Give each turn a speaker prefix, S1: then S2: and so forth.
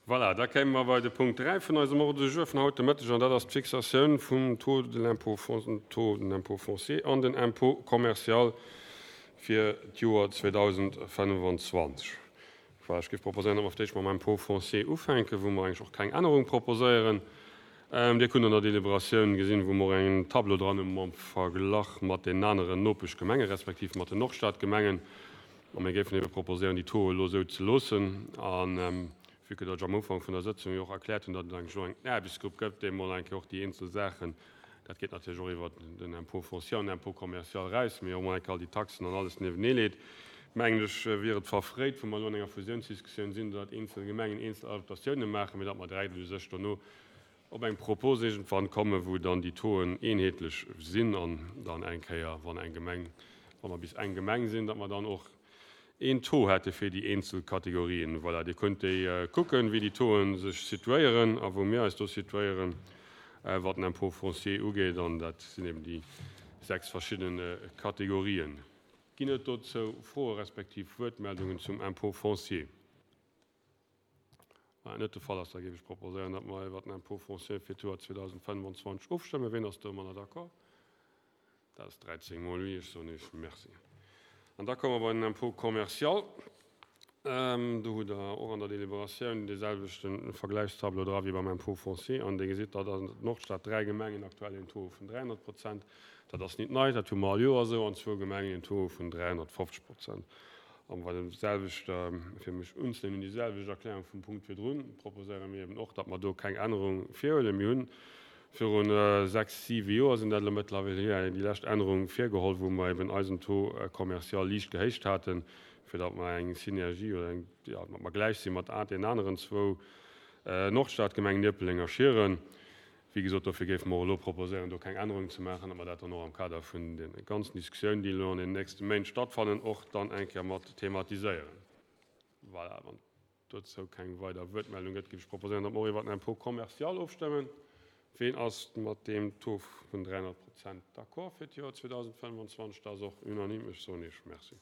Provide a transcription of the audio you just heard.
S1: Voilà, da kéime mer bei de Punkt 3 vun eisem Ordre du jour vun haut de Mëtteg, an dat ass d'Fixatioun vum Taux de l'impôt taux de l'impôt foncier an den Impôt commercial fir d'Joer 2025. Voilà, ech géif proposéieren, datt mer fir d'éischt mam Impôt foncier ufänken, wou mer eigentlech och keng Ännerung proposéieren. Dir kunnt an der Deliberatioun gesinn, wou mer och en Tableau dran hu mam Verglach mat deenen aneren Nopeschgemengen, respektiv mat den Nordstadgemengen. A mir géifen ebe proposéieren, déi Taux elo esou ze loossen. A vue que datt ech am Ufank vun der Sëtzung jo och erkläert hunn, datt et eigentlech elo eng Aarbechtsgrupp gëtt, déi emol eng Kéier och déi eenzel Saachen, dat geet natierlech och iwwert den Impôt foncier an den Impôt commercial eraus, mee och emol eng Kéier all déi Taxen an alles niewenee leet, mengen ech, wier et verfréit, wou mer elo an enger Fusiounsdiskussioun sinn, datt eenzel Gemengen eenzel Adaptatiounen maachen, mee datt mer direkt u sech dono op eng Propos iergendwann kommen, wou dann déi Tauxen eenheetlech sinn an dann eng Kéier, wann eng Gemeng, wa mer bis eng Gemeng sinn, datt mer dann och een Taux hätte fir déi eenzel Kategorien. Voilà, Dir kënnt déi kucken, wéi déi Tauxen sech situéieren a wou mir eis do situéieren, wat den Impôt foncier ugeet, an dat sinn eben déi 6 verschidde Kategorien. Ginn et dozou Froe respektiv Wuertmeldungen zum Impôt foncier? Wann dat net de Fall ass, da géif ech proposéieren, datt mer iwwert den Impôt foncier fir d'Joer 2025 ofstëmmen. Ween ass domadder d'accord? Dat ass 13 mol oui. Ech soen Iech Merci. An da komme mer bei den Impôt commercial. Do hutt Der och an der Deliberatioun dee selwechte Vergläichstableau dra wéi beim Impôt foncier. An Dir gesitt, datt an der Nordstad dräi Gemengen aktuell een Taux hu vun 300 Prozent. Dat ass nit nei, dat hu mer all Joer esou. An zwou Gemengen een Taux hu vun 350 Prozent. An bei der selwechter, fir mech unzeléinen un déi selwecht Erklärung vum Punkt virdrun, proposéiere mir eben och, datt mer do keng Ännerung virhuelen. Mir hunn viru sechs, siwe Joer sinn dat elo mëttlerweil hier, déi lescht Ännerung virgeholl, wou mer eben eisen Taux commercial liicht gehéicht haten, fir datt mer eng Synergie oder eng, jo, datt mer gläich si mat deenen aneren zwou Nordstadgemengen, Ierpeldeng a Schieren. Wéi gesot, dofir géife mer och elo proposéieren, do keng Ännerung ze maachen, datt mer dat dann och am Kader vun de ganzen Diskussiounen, déi elo an den nächste Méint stattfannen, och dann eng Kéier mat thematiséieren. Voilà, wann et dozou keng weider Wuertmeldung gëtt, géif ech proposéieren, datt mer och iwwert den Impôt commercial ofstëmmen. Ween ass mat deem Taux vun 300 Prozent d'accord fir d'Joer 2025? Dat ass och unanime. Ech soen Iech Merci.